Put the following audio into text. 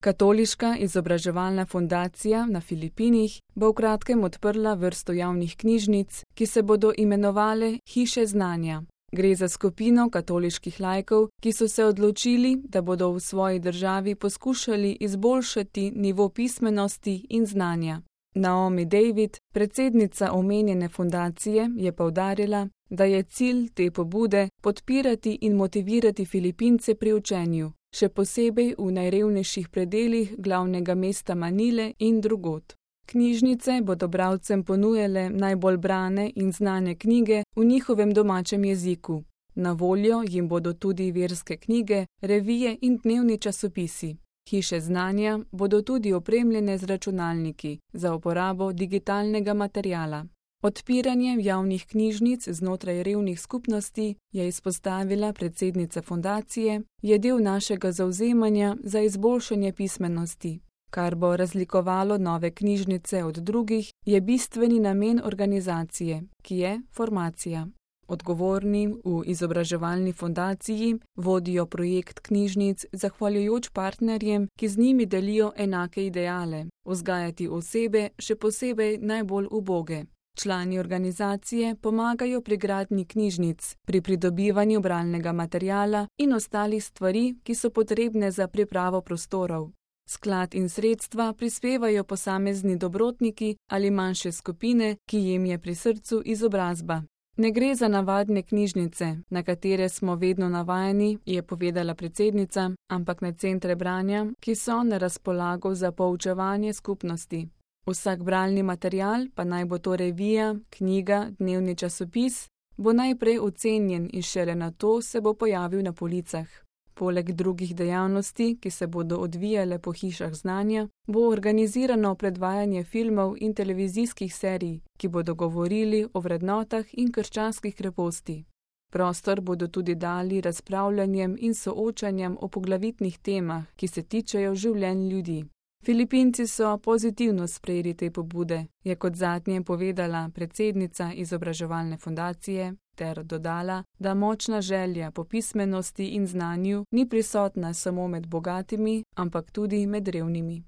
Katoliška izobraževalna fundacija na Filipinih bo v kratkem odprla vrsto javnih knjižnic, ki se bodo imenovale Hiše znanja. Gre za skupino katoliških laikov, ki so se odločili, da bodo v svoji državi poskušali izboljšati nivo pismenosti in znanja. Naomi David, predsednica omenjene fundacije, je poudarila, da je cilj te pobude podpirati in motivirati Filipince pri učenju, še posebej v najrevnejših predelih glavnega mesta Manile in drugod. Knjižnice bodo bralcem ponujale najbolj brane in znane knjige v njihovem domačem jeziku. Na voljo jim bodo tudi verske knjige, revije in dnevni časopisi. Hiše znanja bodo tudi opremljene z računalniki za uporabo digitalnega materiala. Odpiranje javnih knjižnic znotraj revnih skupnosti, je izpostavila predsednica fundacije, je del našega zavzemanja za izboljšanje pismenosti. Kar bo razlikovalo nove knjižnice od drugih, je bistveni namen organizacije, ki je formacija. Odgovorni v izobraževalni fundaciji vodijo projekt knjižnic zahvaljujoč partnerjem, ki z njimi delijo enake ideale, vzgajati osebe, še posebej najbolj uboge. Člani organizacije pomagajo pri gradnji knjižnic, pri pridobivanju bralnega materiala in ostalih stvari, ki so potrebne za pripravo prostorov. Sklad in sredstva prispevajo posamezni dobrotniki ali manjše skupine, ki jim je pri srcu izobrazba. Ne gre za navadne knjižnice, na katere smo vedno navajeni, je povedala predsednica, ampak na centre branja, ki so na razpolago za poučevanje skupnosti. Vsak bralni material, pa naj bo to revija, knjiga, dnevni časopis, bo najprej ocenjen in šele nato se bo pojavil na policah. Poleg drugih dejavnosti, ki se bodo odvijale po hišah znanja, bo organizirano predvajanje filmov in televizijskih serij, ki bodo govorili o vrednotah in krščanskih kreposti. Prostor bodo tudi dali razpravljanjem in soočanjem o poglavitnih temah, ki se tičejo življenj ljudi. Filipinci so pozitivno sprejeli te pobude, je kot zadnje povedala predsednica izobraževalne fundacije, ter dodala, da močna želja po pismenosti in znanju ni prisotna samo med bogatimi, ampak tudi med revnimi.